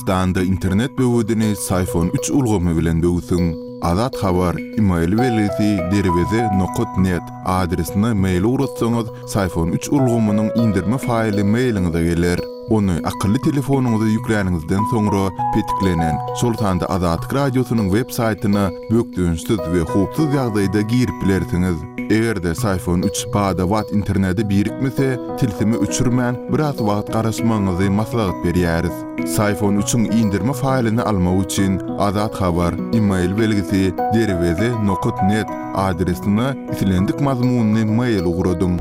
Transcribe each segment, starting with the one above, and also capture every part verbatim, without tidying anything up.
Türkmenistanda internet böwedini Syfon üç ulgamy bilen böwsüň. Azat Habar, email belgisi derweze nokat net adresine mail ugratsaňyz, Syfon üç ulgamynyň indirme faýly mailiňize geler. Ony akylly telefonyňyza ýükläniňizden soňra petiklenen, şol sanda Azatlyk Radiosynyň web saýtyna bökdençsiz we howpsuz ýagdaýda girip bilersiňiz. Eger-de Syfon üç bada-bat internete birikmese, tilsimi öçürmän biraz wagt garaşmagyňyzy maslahat berýäris. Syfon üçiň indirme faýlyny almak üçin Azat Habar, email belgisi derweze nokat net adresine islendik mazmunly mail ugradyň.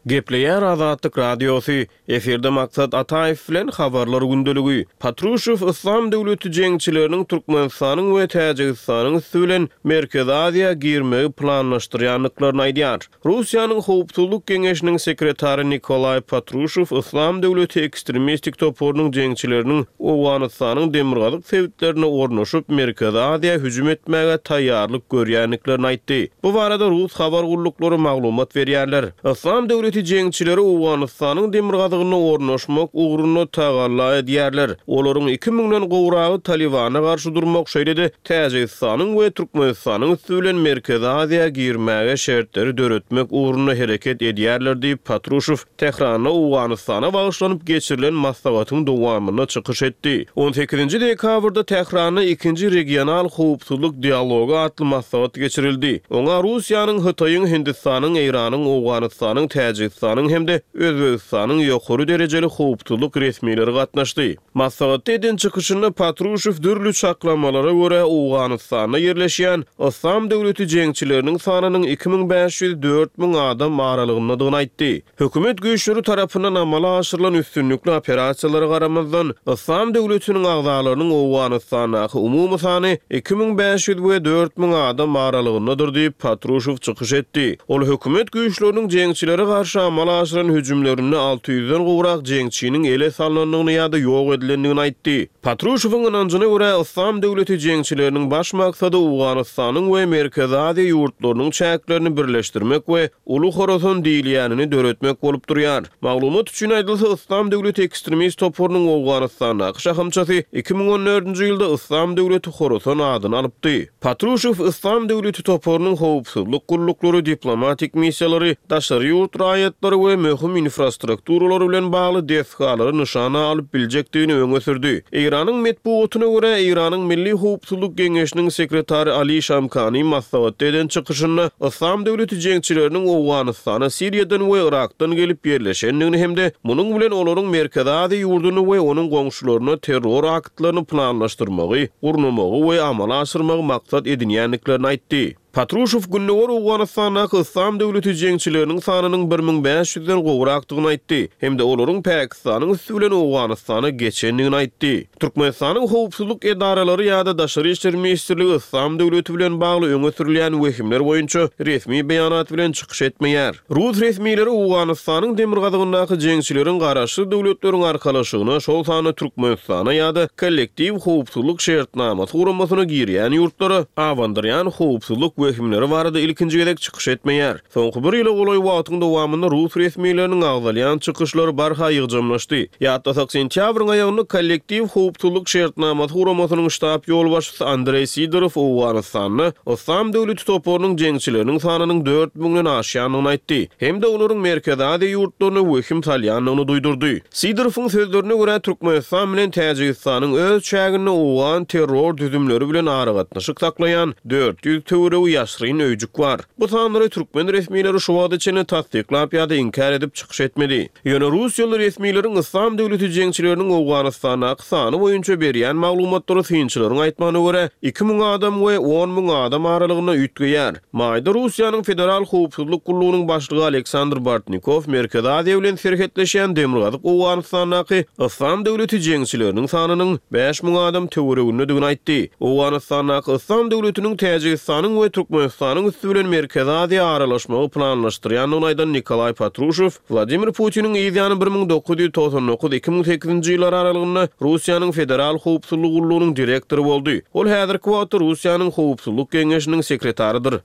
Gepleýär Azatlyk Radiosy. Efirde Maksat Ataýew bilen habarlar gündeligi. Patruşew Yslam döwleti jeňçileriniň Türkmenistanyň we Täjigistanyň üsti bilen Merkezi Aziýa girmegi planlaşdyrýandyklaryny aýdýar. Russiýanyň Howpsuzlyk Geňeşiniň sekretary Nikolaý Patruşew Yslam döwleti ekstremistik toparynyň jeňçileriniň Owganystanyň demirgazyk sebitlerine ornaşyp Merkezi Aziýa hüjüm etmäge taýýarlyk görýändiklerini aýtdy. Bu barada Rus habar gulluklary maglumat berýärler. Yslam döwleti jeňçileri Owganystanyň demirgazygyna ornaşmak ugrunda tagalla edýärler. Olaryň iki müňden gowragy Talibana garşy durmak, şeýle-de Täjigistanyň we Türkmenistanyň üsti bilen Merkezi Aziýa girmäge şertleri döretmek ugrunda hereket edýärler diýip Patruşew Tähranda Owganystana bagyşlanyp geçirilen maslahatyň dowamynda çykyş etdi. on sekizinji dekabrda Tähranda ikinji regional howpsuzlyk dialogy atly maslahat geçirildi. Oňa Russiýanyň, Hytaýyň, Hindistanyň, Eýranyň, Owganystanyň, Täjigistanyň hem-de Özbegistanyň ýokary derejeli howpsuzlyk resmileri gatnaşdy. Maslahatda eden çykyşynda Patruşew dürli çaklamalara görä Owganystanda ýerleşýän Yslam döwleti jeňçileriniň sanynyň iki müň bäş ýüz dört müň adam aralygyndadygyny aýtdy. Hökümet güýçleri tarapyndan amala aşyrylan üstünlikli operasiýalara garamazdan, Yslam döwletiniň agzalarynyň Owganystandaky umumy sany iki müň bäş ýüz we dört müň adam aralygyndadyr diýip Patruşew çykyş etdi. Ol hökümet güýçleriniň jeňçilere garşy amala aşyran hüjümlerinde alty ýüzden gowrak jeňçiniň ele salnandygyny ýa-da ýok edilendigini aýtdy. Patruşewiň ynanjyna görä Yslam döwleti jeňçileriniň baş maksady Owganystanyň we Merkezi Aziýa ýurtlarynyň çäklerini birleşdirmek we Uly Horasan diýilýänini döretmek bolup durýar. Maglumat üçin aýdylsa, Yslam döwleti ekstremist toparynyň Owganystandaky şahamçasy iki müň on dördünji ýylda Yslam döwleti Horasan adyny alypdy. Patruşew Yslam döwleti toparynyň howpsuzlyk gulluklary, diplomatik missiýalary, daşary ýurt raýatlary we möhüm infrastrukturalary bilen bagly desgalary nyşana alyp biljekdigini öňe sürdi. Eýranyň metbugatyna görä Eýranyň Milli Howpsuzlyk Geňeşiniň sekretary Ali Şamkani maslahatda eden çykyşynda Yslam döwleti jeňçileriniň Owganystana, Siriýadan we Irakdan gelip ýerleşendigini hem-de munuň bilen olaryň Merkezi Aziýa ýurduny we onuň goňşularyna terror aktlaryny planlaşdyrmagy, gurnamagy we amala aşyrmagy maksat edinýändiklerini aýtdy. Patruşew Gündogar Owganystandaky Yslam döwleti jeňçileriniň sanynyň bir müň bäş ýüzden gowrakdygyny aýtdy hem-de olaryň Pakistanyň üsti bilen Owganystana geçendigini aýtdy. Türkmenistanyň howpsuzlyk edaralary ýa-da Daşary işler ministrligi Yslam döwleti bilen bagly öňe sürülýän wehimler boýunça resmi beýanat bilen çykyş etmeýär. Rus resmileri Owganystanyň demirgazygyndaky jeňçileriň garaşsyz döwletleriň arkalaşygyna, şol sanda Türkmenistana ýa-da kollektiw howpsuzlyk şertnamasy guramasyna girýän ýurtlara abandyrýan howpsuzlyk wehimleri barada ilkinji gezek çykyş etmeýär. Soňky bir ýyla golaý wagtyň dowamynda Rus resmileriniň agzalýan çykyşlary barha ýygjamlaşdy. Ýatlasak, sentýabryň aýagynda kollektiw howpsuzlyk şertnamasy guramasynyň ştab ýolbaşçysy Andreý Sidorow Owganystanda Yslam döwleti toparynyň jeňçileriniň sanynyň dört müňden aşýandygyny aýtdy hem-de olaryň Merkezi Aziýa ýurtlaryna wehim salýandygyny duýdurdy. Sidorowyň sözlerine görä Türkmenistan bilen Täjigistanyň öz çäginde Owgan terror düzümleri bilen aragatnaşyk saklaýan dört ýüz töweregi ýaşryn öýjük bar. Bu sanlary türkmen resmileri şu wagta çenli tassyklap ýa-da inkär edip çykyş etmedi. Ýöne Russiýaly resmileriň Yslam döwleti jeňçileriniň Owganystandaky sany boýunça berýän maglumatlary synçylaryň aýtmagyna görä iki müň adam we on müň adam aralygynda üýtgeýär. Maýda Russiýanyň Federal Howpsuzlyk gullugynyň başlygy Aleksandr Bartnikow Merkezi Aziýa bilen serhetleşýän demirgazyk Owganystandaky Yslam döwleti jeňçileriniň sanynyň bäş müň adam töweregindedigini aýtdy. Owganystandaky Yslam döwletiniň Täjigistanyň we Türkmenistanyň üsti bilen Merkezi Aziýa aralaşmagy planlaşdyrýandygyny aýdan Nikolaý Patruşew, Wladimir Putiniň ýany bir müň dokuz ýüz togsan dokuz iki müň sekizinji ýyllar aralygynda Russiýanyň Federal Howpsuzlyk gullugynyň direktory boldy. Ol häzirki wagtda Russiýanyň Howpsuzlyk Geňeşiniň sekretarydyr.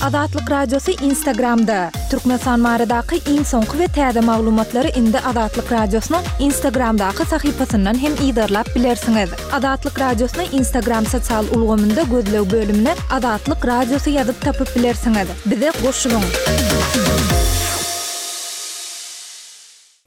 Azatlyk Radiosy Instagramda! Türkmenistan baradaky iň soňky we täze maglumatlary indi Azatlyk Radiosynyň Instagramdaky sahypasyndan hem yzarlap bilersiňiz. Azatlyk Radiosyny Instagram sosial ulgamynda gözleg bölümine Azatlyk Radiosy ýazyp tapyp bilersiňiz. Bize goşulyň!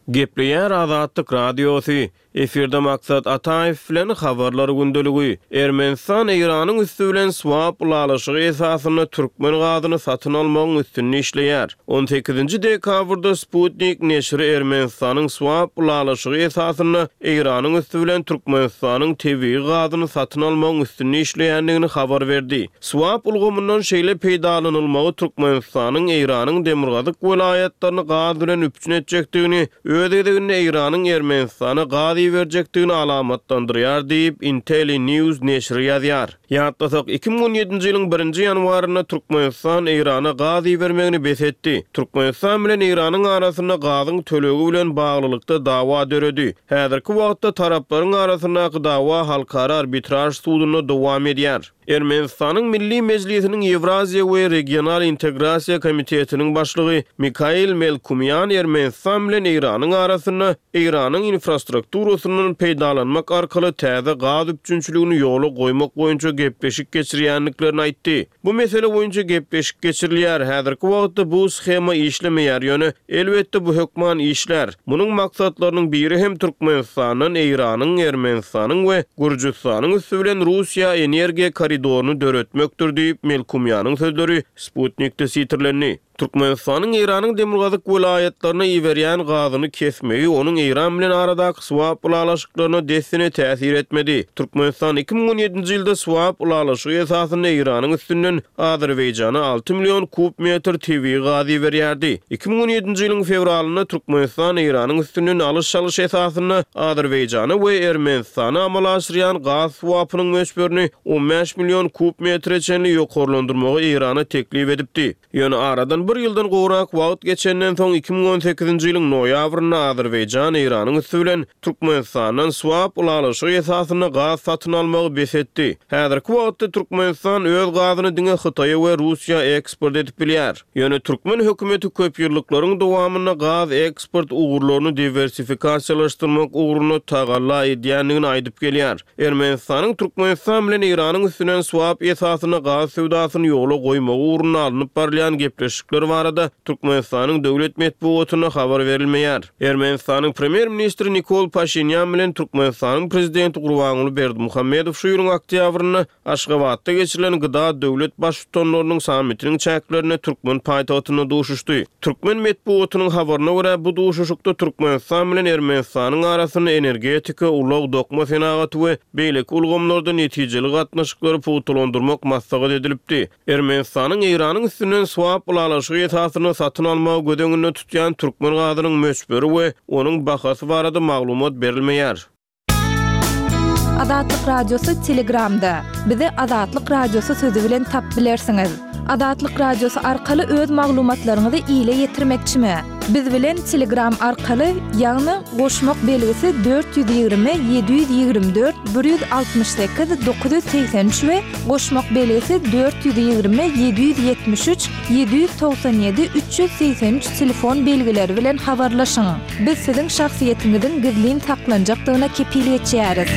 Gepleýär Azatlyk Radiosy, Efirde Maksat Ataýew bilen Habarlar gündeligi. Ermenistan Eýranyň üsti bilen swap ylalaşygy esasynda türkmen gazyny satyn almagyň üstünde işleýär. On sekizinji dekabrda Sputnik neşiri Ermenistanyň swap ylalaşygy esasynda Eýranyň üsti bilen Türkmenistanyň tebigy gazyny satyn almagyň üstünde işleýändigini habar berdi. Swap ulgamyndan şeýle peýdalanylmagy Türkmenistanyň Eýranyň demirgazyk welaýatlaryny gaz bilen üpjün etjekdigini, öz gezeginde Eýranyň Ermenistana gaz iberjekdigini alamatlandyrýar diýip, Intellinews neşiri ýazýar. Ýatlasak, iki müň on ýedinji ýylyň birinji ýanwarynda Türkmenistan Eýrana gaz ibermegini bes etdi. Türkmenistan bilen Eýranyň arasynda gazyň tölegi bilen baglylykda dawa döredi. Häzirki wagtda taraplaryň arasyndaky dawa Halkara arbitraž sudunda dowam edýär. Ermenistanyň Milli Mejlisiniň Ýewraziýa we regional integrasiýa komitetiniň başlygy Mikail Melkumýan Ermenistan bilen Eýranyň arasynda Eýranyň infrastrukturasyndan peýdalanmak arkaly täze gaz üpjünçiligini ýola goýmak boýunça gepleşik geçirýändiklerini aýtdy. Bu mesele boýunça gepleşik geçirilýär. Häzirki wagtda bu shema işlemeýär, ýöne elbetde bu hökman işlär. Munuň maksatlarynyň biri hem Türkmenistandan Eýranyň, Ermenistanyň we Gürjüstanyň üsti bilen Russiýa energiýa koridoryny döretmekdir diýip, Melkumýanyň sözleri Sputnikde sitirlendi. Türkmenistanyň Eýranyň demirgazyk welaýatlaryna iberýän gazyny kesmegi onuň Eýran bilen aradaky swap ylalaşyklaryna dessine täsir etmedi. Türkmenistan iki müň on ýedinji ýylda swap ylalaşygy esasynda Eýranyň üstünden Azerbaýjana alty million kub metr tebigy gaz iberýärdi. Iki müň on ýedinji ýylyň fewralynda Türkmenistan Eýranyň üstünden alyş-çalyş esasynda Azerbaýjana we Ermenistana amala aşyrýan gaz swapynyň möçberini on bäş million kub metre çenli ýokarlandyrmagy Eýrana teklip edipdi. Ýöne aradan bir ýyldan gowrak wagt geçenden soň iki müň on sekizinji ýylyň noýabrynda Azerbaýjan Eýranyň üsti bilen Türkmenistandan swap ylalaşygy esasynda gaz satyn almagy bes etdi. Häzirki wagtda Türkmenistan öz gazyny diňe Hytaýa we Russiýa eksport edip bilýär. Ýöne türkmen hökümeti köp ýyllyklaryň dowamynda gaz eksport ugurlaryny diwersifikasiýalaşdyrmak ugrunda tagalla edýändigini aýdyp gelýär. Ermenistanyň Türkmenistan bilen Eýranyň üstünden swap esasynda gaz söwdasyny ýola goýmagy ugrunda alnyp barylýan gepleşikler barada Türkmenistanyň döwlet metbugatynda habar berilmeýär. Ermenistanyň premýer-ministri Nikol Paşinýan bilen Türkmenistanyň prezidenti Gurbanguly Berdimuhamedow şu ýylyň oktýabrynda Aşgabatda geçirilen Gda döwlet baştutanlarynyň sammitiniň çäklerinde türkmen paýtagtynda duşuşdy. Türkmen metbugatynyň habaryna görä, bu duşuşykda Türkmenistan bilen Ermenistanyň arasynda energetika, ulag, dokma senagaty we beýleki ulgamlarda netijeli gatnaşyklary pugtalandyrmak maslahat edilipdi. Ermenistanyň Eýranyň üstünden swap ylalaşygy esasynda satyn almagy göz öňünde tutýan türkmen gazynyň möçberi we onuň bahasy barada maglumat berilmeýär. Azatlyk Radiosy Telegramda. Bizi Azatlyk Radiosy sözi bilen tap bilersiňiz. Azatlyk Radiosy arkaly öz maglumatlaryňyzy ile ýetirmekçimi? Biz bilen Telegram arkaly, ýagny goşmak belgisi dört ýüz ýigrimi, ýedi ýüz ýigrimi dört, bir ýüz altmyş sekiz, dokuz ýüz segsen üç we goşmak belgisi dört ýüz ýigrimi, ýedi ýüz ýetmiş üç, ýedi ýüz togsan ýedi, üç ýüz segsen üç telefon belgileri bilen habarlaşyň. Biz siziň şahsyýetiňiziň gizlin saklanjakdygyna kepil geçýäris.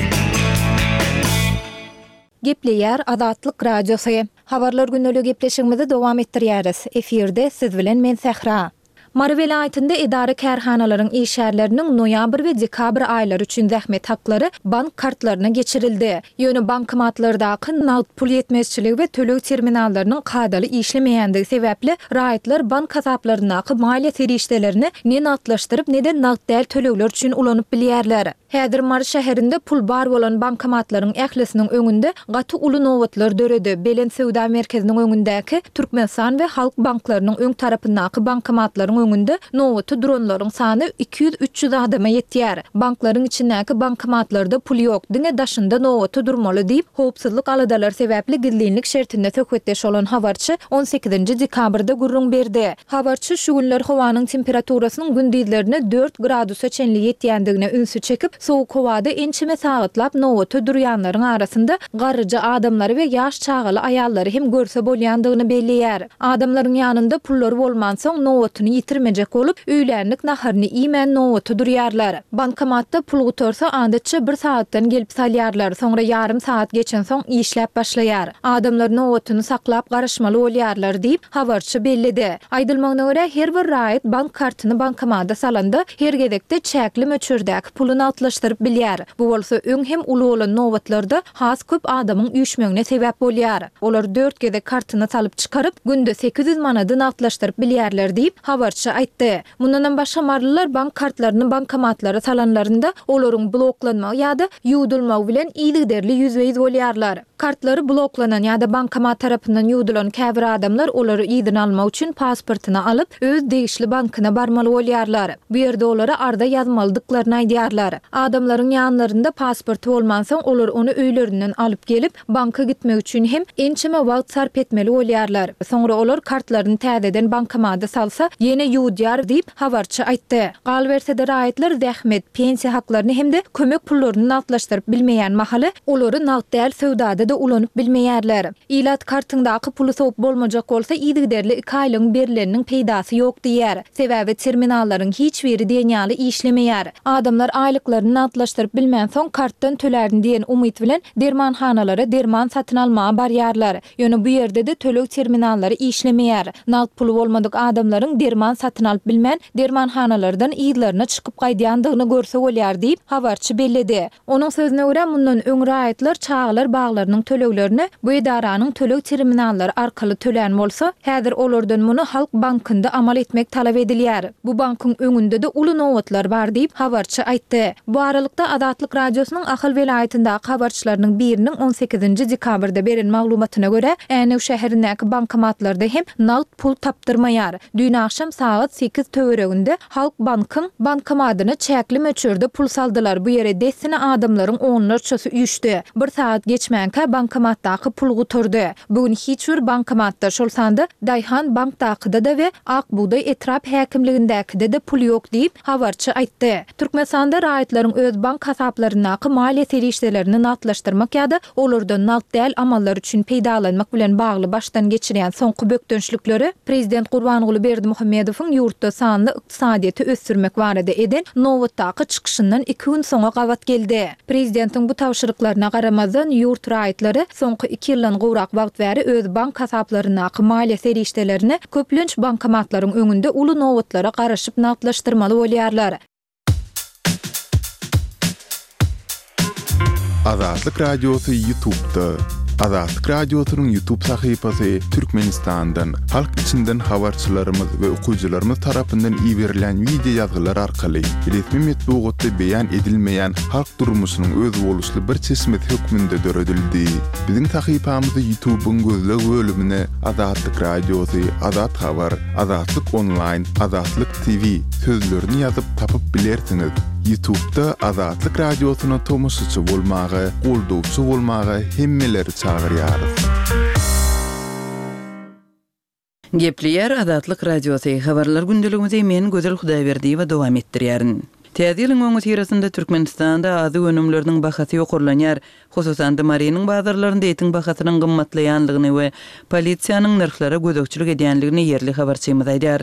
Gepleýär Azatlyk Radiosy. Habarlar gündelik gepleşigimizi dowam etdirýäris. Efirde siz bilen men Sähra. Mary welaýatynda edara kärhanalaryň işgärleriniň noýabr we dekabr aýlary üçin zähmet haklary bank kartlaryna geçirildi. Ýöne bankomatlardaky nagt pul ýetmezçiligi we töleg terminallarynyň kadaly işlemeýändigi sebäpli raýatlar bank hasaplaryndaky maliýe serişdelerini ne nagtlaşdyryp, ne-de nagt däl tölegler üçin ulanyp bilýärler. Häzir Mary şäherinde pul bar bolan bankomatlaryň ählisiniň öňünde gaty uly nobatlar döredi. Belent söwda merkeziniň öňündäki Türkmenistan we Halk banklarynyň öň tarapyndaky bankomatlaryň öňünde nobata duranlaryň sany iki ýüz-üç ýüz adama ýetýär. Banklaryň içindäki bankomatlarda pul ýok, diňe daşynda nobata durmaly diýip, howpsuzlyk aladalary sebäpli gizlinlik şertinde söhbetdeş bolan habarçy on sekizinji dekabrda gürrüň berdi. Habarçy şu günler howanyň temperaturasynyň gündizlerine dört gradusa çenli ýetýändigine ünsi çekip, sowuk howada ençeme sagatlap nobata durýanlaryň arasynda garryja adamlary we ýaş çagaly aýallary hem görse bolýandygyny belleýär. Adamlaryň ýanynda pullary bolmansoň, nobatyny ýitirmejek bolup, öýlänlik naharyny iýmän nobata durýarlar. Bankomatda pul gutarsa, adatça bir sagatdan gelip salýarlar, soňra ýarym sagat geçensoň işläp başlaýar. Adamlar nobatyny saklap garaşmaly bolýarlar diýip, habarçy belledi. Aýdylmagyna görä, her bir raýat bank kartyny bankomata salanda, her gezekde çäkli möçberdäki puly nagtlaşdyryp bilýär. Bu bolsa öň hem uly bolan nobatlarda has köp adamyň üýşmegine sebäp bolýar. Olar dört gezek kartyny salyp çykaryp, günde sekiz ýüz manady nagtlaşdyryp bilýärler diýip, habarçy aýtdy. Mundanam başga marylylar bank kartlaryny bankomatlara salanlarynda olaryň bloklanmagy ýa-da ýuwdulmagy bilen yzygiderli ýüzbe-ýüz bolýarlar. Kartlary bloklanan ýa-da bankomat tarapyndan ýuwdulan käbir adamlar olary yzyna almak üçin pasportyny alyp, öz degişli bankyna barmaly bolýarlar. Bu ýerde olara arza ýazmalydyklaryny aýdýarlar. Adamlaryň ýanlarynda pasporty bolmansoň, olar ony öýlerinden alyp gelip, banka gitmek üçin hem ençeme wagt sarp etmeli bolýarlar. Soňra olar kartlaryny täzeden bankomata salsa, ýene ýuwudýar diýip, habarçy aýtdy. Galyberse-de raýatlar zähmet, pensiýa haklaryny hem-de kömek pullaryny nagtlaşdyryp bilmeýän mahaly, olary nagt däl söwdada-da ulanyp bilmeýärler. Ilat kartyňdaky puly sowup bolmajak bolsa, yzygiderli iki aýlygyň berleniniň peýdasy ýok diýýär. Sebäbi terminallaryň hiç biri diýen ýaly işlemeýär. Adamlar aýlyklaryny nagtlaşdyryp bilmänsoň, kartdan tölärin diýen umyt bilen dermanhanalara derman satyn almaga barýarlar. Ýöne bu ýerde-de töleg terminallary işlemeýär. Nagt puly bolmadyk adamlaryň derman satyn alyp bilmän, dermanhanalardan yzlaryna çykyp gaýdýandygyny görse bolýar diýip, habarçy belledi. Onuň sözüne görä, mundan öň raýatlar çagalar baglarynyň töleglerini bu edaranyň töleg terminallary arkaly tölän bolsa, häzir olardan muny Halk bankynda amal etmek talap edilýär. Bu bankyň öňünde-de uly nobatlar bar diýip, habarçy aýtdy. Bu aralykda, Azatlyk Radiosynyň Ahal welaýatyndaky habarçylarynyň biriniň on sekizinji dekabrda beren maglumatyna görä, Änew şäherindäki bankomatlarda hem nagt pul tapdyrmaýar. Düýn agşam sagat sekiz töwereginde Halk bankyň bankomadyna çäkli möçberde pul saldylar. Bu ýere dessine adamlaryň onlarçasy üýşdi. Bir sagat geçmänkä bankomatdaky pul gutardy. Bu gün hiç bir bankomatda, şol sanda Daýhan bankdakyda-da we Ak bugdaý etrap häkimligindäkide-de pul ýok diýip, habarçy aýtdy. Türkmenistanda raýatlaryň öz bank hasaplaryndaky maliýe serişdelerini nagtlaşdyrmak ýa-da olardan nagt däl amallar üçin peýdalanmak bilen bagly başdan geçirýän soňky bökdençlikleri prezident Gurbanguly Berdimuhamedowyň ýurtda sanly ykdysadyýeti ösdürmek barada eden nobatdaky çykyşyndan iki gün soňa gabat geldi. Prezidentiň bu tabşyryklaryna garamazdan, ýurt raýatlary soňky iki ýyldan gowrak wagt bäri öz bank hasaplaryndaky maliýe serişdelerini köplenç bankomatlaryň öňünde uly nobatlara garaşyp nagtlaşdyrmaly bolýarlar. Azatlyk Radiosy YouTube'da. Azatlyk Radiosynyň YouTube sahypasy Türkmenistandan, halk içinden habarçylarymyz we okyjylarymyz tarapyndan iberilen wideo ýazgylar arkaly resmi metbugatda beýan edilmeýän halk durmuşynyň özboluşly bir çeşmesi hökmünde döredildi. Biziň sahypamyzy YouTube'yň gözleg bölümine Azatlyk Radiosy, Azat Habar, Azatlyk Onlaýn, Azatlyk T V sözlerini ýazyp tapyp bilersiňiz. YouTube'da Azatlyk Radiosyna tomaşaçy bolmaga, goldawçy bolmaga hemmeleri çagyrýarys. Gepleýär Azatlyk Radiosy, Habarlar gündeligimizi men Gözel Hudaýberdiýewa dowam etdirýärin. Täze ýylyň öňüsyrasynda Türkmenistanda azyk önümleriniň bahasy ýokarlanýar. Hususan-da, Marynyň bazarlarynda etiň bahasynyň gymmatlaýandygyny we polisiýanyň nyrhlara gözegçilik edýändigini ýerli habarçymyz aýdýar.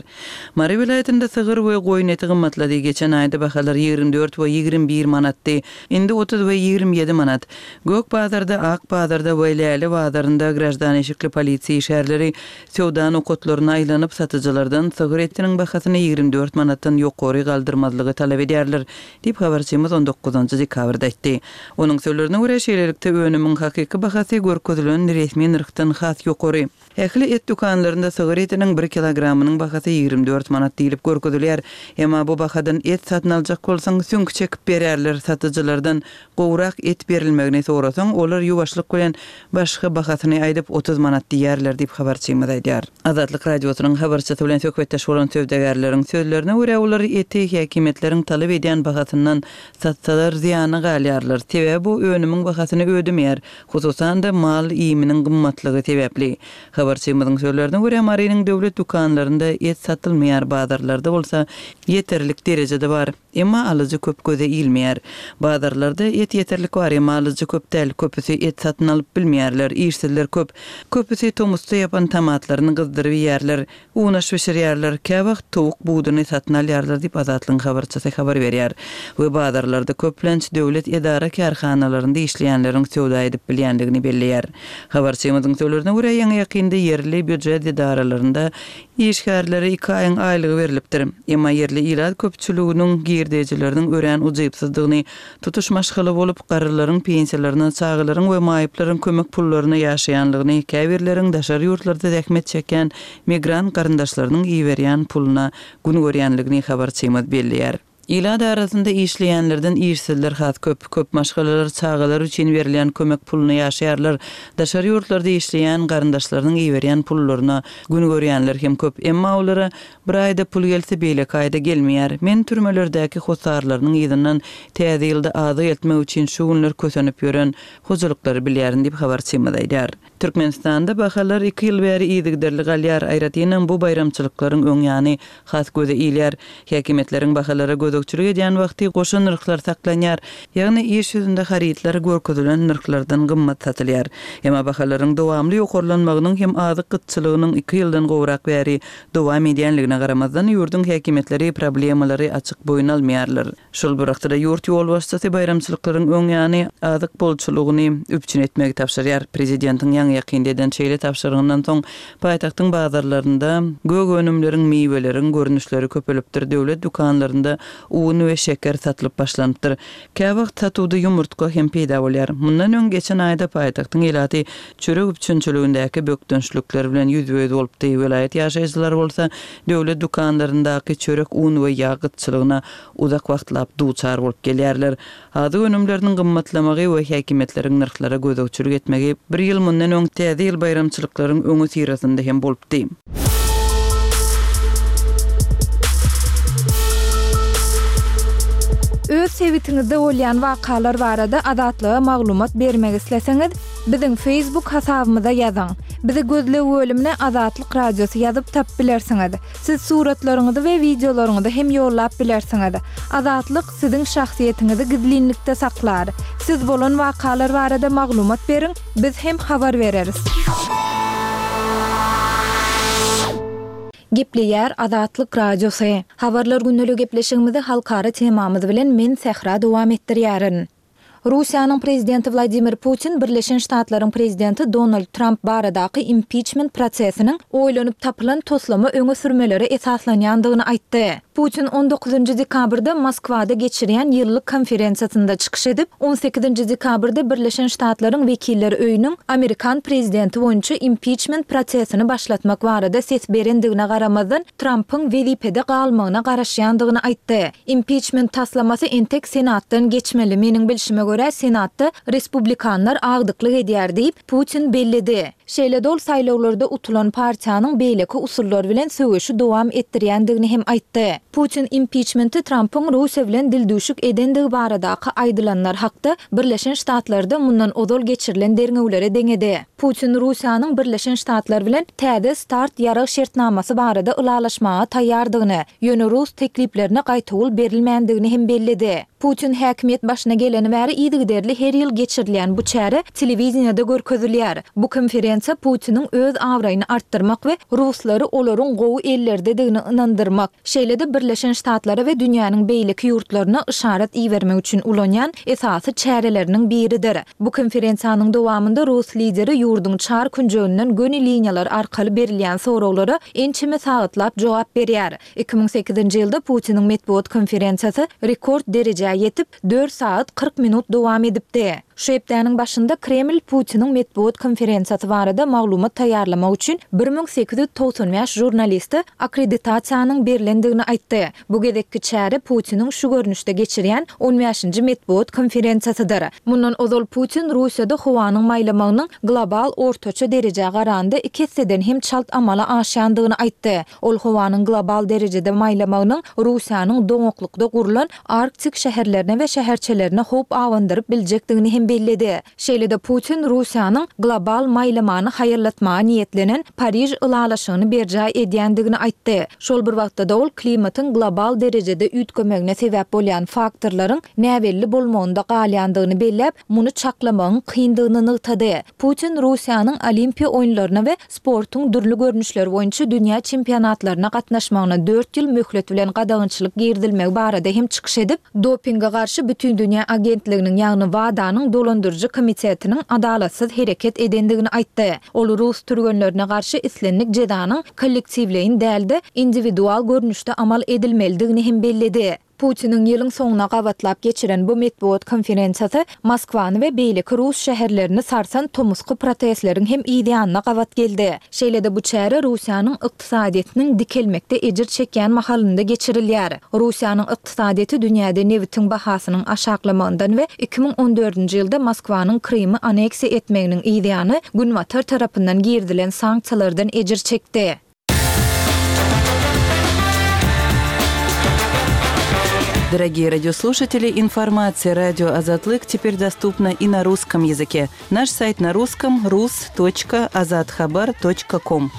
Mary welaýatynda sygyr we goýun eti gymmatlady. Geçen aýda bahalar ýigrimi dört we ýigrimi bir manatdy. Indi otuz we ýigrimi ýedi manat. Gök bazarda, Ak bazarda we Läle bazarynda graždan eşikli polisiýa işgärleri söwda nokatlaryna aýlanyp, satyjylardan sygyr etiniň bahasyny ýigrimi dört manatdan ýokary galdyrmazlygy talap edýärler. berýärler, diýip, habarçymyz on dokuzynjy dekabrda aýtdy. Onuň sözlerine görä, şeýlelikde önümiň hakyky bahasy görkezilen resmi nyrhdan has ýokary. Ähli et dükanlarynda sygyr etiniň bir kilogramynyň bahasy ýigrimi dört manat diýlip görkezilýär. Emma bu bahadan et satyn aljak bolsaň, süňk çekip berýärler, satyjylardan gowrak et berilmegini sorasaň, olar ýuwaşlyk bilen başga bahasyny aýdyp, otuz manat diýýärler diýip, habarçymyz aýdýar. Azatlyk Radiosynyň habarçysy bilen söhbetdeş bolan söwdagärleriň sözlerine görä, olar eti häkimiýetleriň talap edýän bahasyndan satsalar zyýana galýarlar, sebäbi bu önümiň bahasyny ödemeýär, hususan-da, mal iýminiň gymmatlygy sebäpli. Habarçymyzyň sözlerine görä, Marynyň döwlet dükanlarynda et satylmaýar, bazarlarda bolsa ýeterlik derejede bar. Emma alyjy köp göze ilmeýär. Bazarlarda et ýeterlik bar, emma alyjy köp däl, köpüsi et satyn alyp bilmeýärler, işsizler köp. Köpüsi tomusda ýapan tomatlaryny gyzdyryp iýýärler, unaş bişirýärler, käwagt towuk buduny satyn alýarlar diýip, Azatlygyň habarçysy habar berýär we bazarlarda köplenç döwlet edara-kärhanalarynda işleýänleriň söwda edip bilýändigini belleýär. Habarçymyzyň sözlerine görä, ýaňy-ýakynda ýerli býujet edaralarynda işgärlere iki aýyň aýlygy berlipdir. Emma ýerli ilat köpçüliginiň girdejileriniň örän ujypsyzdygyny, tutuş maşgala bolup, garrylaryň pensiýalaryna, çagalaryň we maýyplaryň kömek pullaryna ýaşaýanlygyny, käbirleriň daşary ýurtlarda zähmet çekýän migrant garyndaşlarynyň iberýän puluna gün görýänligini habarçymyz belleýär. Ilat arasynda işleýänlerden işsizler has köp. Köp maşgalalar çagalary üçin berilýän kömek puluna ýaşaýarlar. Daşary ýurtlarda işleýän garyndaşlarynyň iberýän pullaryna gün görýänler hem köp. Emma olara bir aýda pul gelse, beýleki aýda gelmeýär. Men türmelerdäki hossarlarynyň yzyndan Täze ýylda azyk eltmek üçin şu günler kösenip ýören hojalyklary bilýärin diýip, habarçymyz aýdýar. Türkmenistanda bahalar iki ýyl bäri yzygiderli galýar, aýratynam bu baýramçylyklaryň öň ýany has göze ilýär. Häkimiýetleriň bahalara gözegçilik edýän wagty goşa nyrhlar saklanýar, ýagny iş ýüzünde harytlar görkezilen nyrhlardan gymmat satylýar. Emma bahalaryň dowamly ýokarlanmagynyň hem azyk gytçylygynyň iki ýyldan gowrak bäri dowam edýänligine garamazdan, ýurduň häkimiýetleri problemalary açyk boýun almaýarlar. Şol bir wagtda-da ýurt ýolbaşçysy baýramçylyklaryň öň ýany azyk bolçulygyny üpjün etmegi tabşyrýar. Prezidentiň ýaňy-ýakynda eden şeýle tabşyrygyndan soň, paýtagtyň bazarlarynda gök önümleriň, miweleriň görnüşleri köpelipdir, döwlet dükanlarynda un we şeker satylyp başlanypdyr. Käwagt satuwda ýumurtga hem peýda bolýar. Mundan öň geçen aýda paýtagtyň ilaty çörek üpjünçiligindäki bökdençlikler bilen ýüzbe-ýüz bolupdy, welaýat ýaşaýjylary bolsa döwlet dükanlaryndaky çörek, un we ýag gytçylygyna uzak wagtlap duçar bolup gelýärler. Azyk önümleriniň gymmatlamagy we häkimiýetleriň nyrhlara gözegçilik etmegi bir ýyl mundan öň Täze ýyl baýramçylyklaryň öňüsyrasynda hem bolupdy. Öz sebitiňizde bolýan wakalar barada Azatlyga maglumat bermek isleseňiz, biziň Facebook hasabymyza ýazyň. Bizi gözleg bölümine Azatlyk Radiosy ýazyp tapyp bilersiňiz. Siz suratlaryňyzy we wideolaryňyzy hem ýollap bilersiňiz. Azatlyk siziň şahsyýetiňizi gizlinlikde saklar. Siz bolan wakalar barada maglumat beriň, biz hem habar bereris. Gepleýär Azatlyk Radiosy. Habarlar gündelik gepleşigimizi halkara temamyz bilen men Sähra dowam etdirýärin. Russiýanyň prezidenti Wladimir Putin Birleşen Ştatlaryň prezidenti Donald Tramp baradaky impiçment prosesiniň oýlanyp tapylan toslama öňe sürmelere esaslanýandygyny aýtdy. Putin on dokuzynjy dekabrda Moskwada geçirýän ýyllyk konferensiýasynda çykyş edip, on sekizinji dekabrda Birleşen Ştatlaryň Wekiller öýüniň amerikan prezidenti boýunça impiçment prosesini başlatmak barada ses berendigine garamazdan, Trampyň wezipede galmagyna garaşýandygyny aýtdy. Impiçment taslamasy entek Senatdan geçmeli, meniň bilşime görä, Senatda respublikanlar agdyklyk edýär diýip, Putin belledi. Şeýle-de ol saýlawlarda utulan partiýanyň beýleki usullar bilen söweşi dowam etdirýändigini hem aýtdy. Putin impiçmenti Trampyň Russiýa bilen dildüwşük edendigi baradaky aýdylanlar hakda Birleşen Ştatlarda mundan ozal geçirilen derňewlere deňedi. Putin Russiýanyň Birleşen Ştatlar bilen täze start ýarag şertnamasy barada ylalaşmaga taýýardygyny, ýöne rus tekliplerine gaýtawul berilmändigini hem belledi. Putin häkimiýet başyna geleni bäri yzygiderli her ýyl geçirilýän bu çäre telewideniýede görkezilýär. Bu konferensiýa Putiniň öz abraýyny artdyrmak we ruslary olaryň gowy ellerdedigine ynandyrmak, şeýle-de Birleşen Ştatlara we dünýäniň beýleki ýurtlaryna yşarat ibermek üçin ulanýan esasy çäreleriniň biridir. Bu konferensiýanyň dowamynda rus lideri ýurduň çar künjeginden göni liniýalar arkaly berilýän soraglara ençeme sagatlap jogap berýär. Iki müň sekizinji ýylda Putiniň metbugat konferensiýasy rekord derejä ýetip, dört sagat kyrk minut dowam edipdi. Şu hepdäniň başynda Kreml Putiniň metbugat konferensiýasy barada maglumat taýýarlamak üçin bir müň sekiz ýüz togsan bäş žurnaliste akkreditasiýanyň berlendigini aýtdy. Bu gezekki çäre Putiniň şu görnüşde geçirýän on bäşinji metbugat konferensiýasydyr. Mundan ozal Putin Russiýada howanyň maýlamagynyň global ortaça derejä garanda iki esseden hem çalt amala aşýandygyny aýtdy. Ol howanyň global derejede maýlamagynyň Russiýanyň doňaklykda gurlan Arktik şäherlerine we şäherçelerine howp abandyryp biljekdigini hem belledi. Şeýle-de Putin Russiýanyň global maýlamany haýallatmaga niýetlenen Pariž ylalaşygyny berjaý edýändigini aýtdy. Şol bir wagtda-da ol klimatyň global derejede üýtgemegine sebäp bolýan faktorlaryň näbelli bolmagynda galýandygyny belläp, muny çaklamagyň kyndygyny nygtady. Putin Russiýanyň Olimpiýa oýunlaryna we sportuň dürli görnüşleri boýunça dünýä çempionatlaryna gatnaşmagyna dört ýyl möhlet bilen gadagançylyk girizilmegi barada hem çykyş edip, dopinge garşy Bütindünýä agentliginiň, ýagny WADA-nyň dolandyryjy komitetiniň adalatsyz hereket edendigini aýtdy. Ol rus türgenlerine garşy islendik jezanyň kollektiwleýin däl-de, indiwidual görnüşde amal edilmelidigini hem belledi. Putiniň ýylyň soňuna gabatlap geçiren bu metbugat konferensiýasy Moskwany we beýleki rus şäherlerini sarsan tomusky protestleriň hem yz ýanyna gabat geldi. Şeýle-de bu çäre Russiýanyň ykdysadyýetiniň dikelmekde ejir çekýän mahalynda geçirilýär. Russiýanyň ykdysadyýeti dünýäde nebitiň bahasynyň aşaklamagyndan we iki müň on dördünji ýylda Moskwanyň Krymy aneksiýa etmeginiň yz ýany Günbatar tarapyndan girizilen sanksiýalardan ejir çekdi. Дорогие радиослушатели, информация радио Азатлык теперь доступна и на русском языке. Наш сайт на русском рус точка азатхабар точка ком.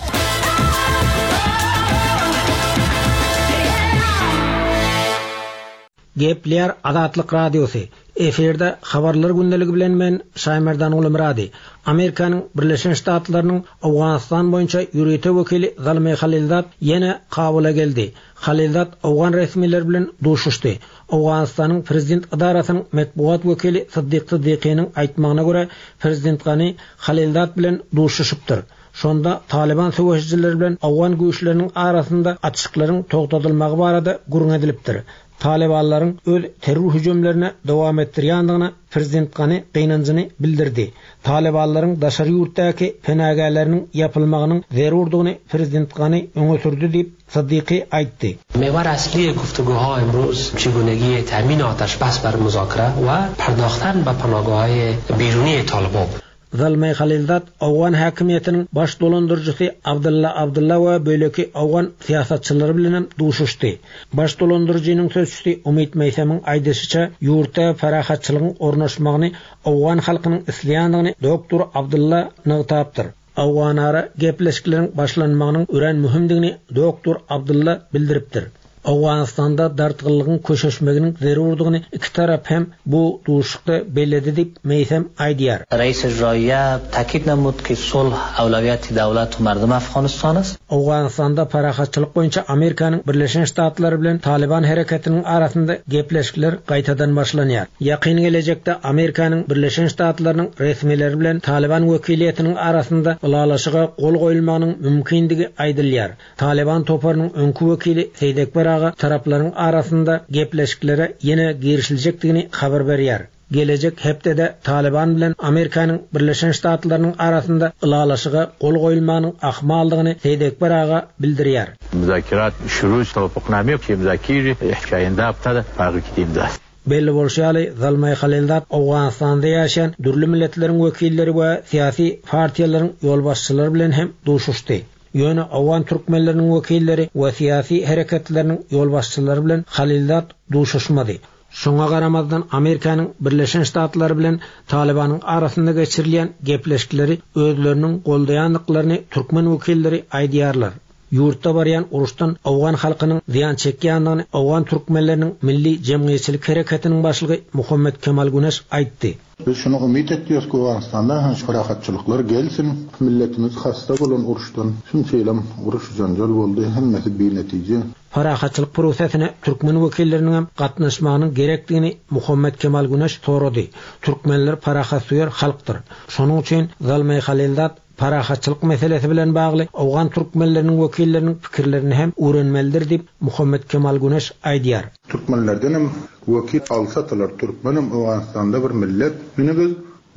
Gepler Azatlyk Radiosy. Efirde habarlar gündeligi bilen men Şaýmerdan Ulumrady. Amerikanyň Birleşen Ştatlarynyň Owganystan boýunça ýörite wekili Zalmay Halilzad ýene Kabula geldi. Halilzad Owgan resmileri bilen duşuşdy. Owganystanyň prezident edarasynyň metbugat wekili Siddiq Siddiqiniň aýtmagyna görä prezident Gani Halilzad bilen duşuşypdyr. Şonda Taliban söweşijileri bilen Owgan güýçleriniň arasynda açyklaryň togtadylmagy barada gürrüň edilipdir. Talibanlaryň öz terror hüjümlerine dowam etdirýändigini prezident Gani gynanjyny bildirdi. Talibanlaryň daşary ýurtdaky penagäleriniň ýapylmagynyň zerurdygyny prezident Gani öňe sürdi diýip Siddiqi aýtdy. محور اصلی گفتگوها امروز چگونگی تامین آتش بس بر مذاکره و پرداختن به پناهگاه‌های بیرونی طالبان بود. Zalmay Halilzad Owgan häkimiýetiniň baş dolandyryjysy Abdulla Abdulla we böleki Owgan syýasatçylary bilen hem duşuşdy. Baş dolandyryjynyň sözçüsi Umid Meýsemiň aýdyşyça ýurtda parahatçylygyň ornaşmagyny Owgan halkynyň isleýändigini doktor Abdulla nygtapdyr. Owganara gepleşikleriň başlanmagynyň örän möhümdigini doktor Abdulla bildiripdir. Owganystanda dartgynlygyň köşeşmeginiň zerurdygyny iki tarap hem bu duşuşykda belledi diýip Meýsem aýdýar. Reis Icraiye takid namud ki sulh awlawiyati dawlat we mardum Afghanistan است. Owganystanda parahatçylyk boýunça Amerikanyň Birleşen Ştatlary bilen Taliban hereketiniň arasynda gepleşikler gaýtadan başlanýar. Ýakyn gelejekde Amerikanyň Birleşen Ştatlarynyň resmileri bilen Taliban wekiliýetiniň arasynda ylalaşyga gol goýulmagynyň mümkindigi aýdylýar. Taliban toparynyň öňkü wekili Seýdekber aga taraplaryň arasynda gepleşiklere ýene girişiljekdigini habar berýär. Gelejek hepdede Taliban bilen Amerikanyň Birleşen Ştatlarynyň arasynda ylalaşyga gol goýulmagynyň ahmaldygyny Seýdekber aga bildirýär. Müzakerat şuru tawafukname ki müzakir ihkayında haftada fark etdiğimde. Belli bolşy ýaly Zalmay Halilzad Owganystanda ýaşaýan dürli milletleriň wekilleri we syýasy partiýalaryň ýolbaşçylary bilen hem duşuşdy. Ýöne Owgan türkmenleriniň wekilleri we syýasy hereketleriniň ýolbaşçylary bilen Halilzad duşuşmady. Şoňa garamazdan Amerikanyň Birleşen Ştatlary bilen Talibanyň arasynda geçirilýän gepleşikleri özleriniň goldaýandyklaryny türkmen wekilleri aýdýarlar. Ýurtda barýan uruşdan owgan halkynyň zyýan çekýändigini owgan türkmenleriniň milli jemgyýetçilik hereketiniň başlygy Muhammet Kemal Güneş aýtdy. Biz şuny umyt etýäris ki, Owganystanda hem parahatçylyklar gelsin. Milletimiz hasta bolan uruşdan, şunça ýylam uruş janjal boldy, hemmesi binetije. Parahatçylyk prosesine türkmen wekilleriniň hem gatnaşmagynyň gerekdigini Muhammet Kemal Güneş sorady. Türkmenler parahatsöýer halkdyr. Şonuň üçin Zalmaý Halilzad parahatçylyk meselesi bilen bagly owgan türkmenleriniň wekilleriniň pikirlerini hem öwrenmelidir diýip Muhammet Kemal Güneş aýdýar. Türkmenlerden hem wekil alsadylar, türkmenem Owganystanda bir millet. Ýöne biz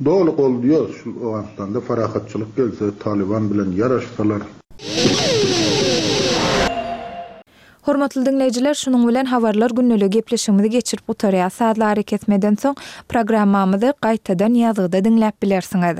doly goldaýarys şu Owganystanda parahatçylyk gelse, Taliban bilen ýaraşsalar. Hormatly diňleýjiler, şunuň bilen habarlar gündeligi gepleşigimizi geçirip gutarýar. Sazlary kesmeden soň programmamyzy gaýtadan ýazgyda diňläp bilersiňiz.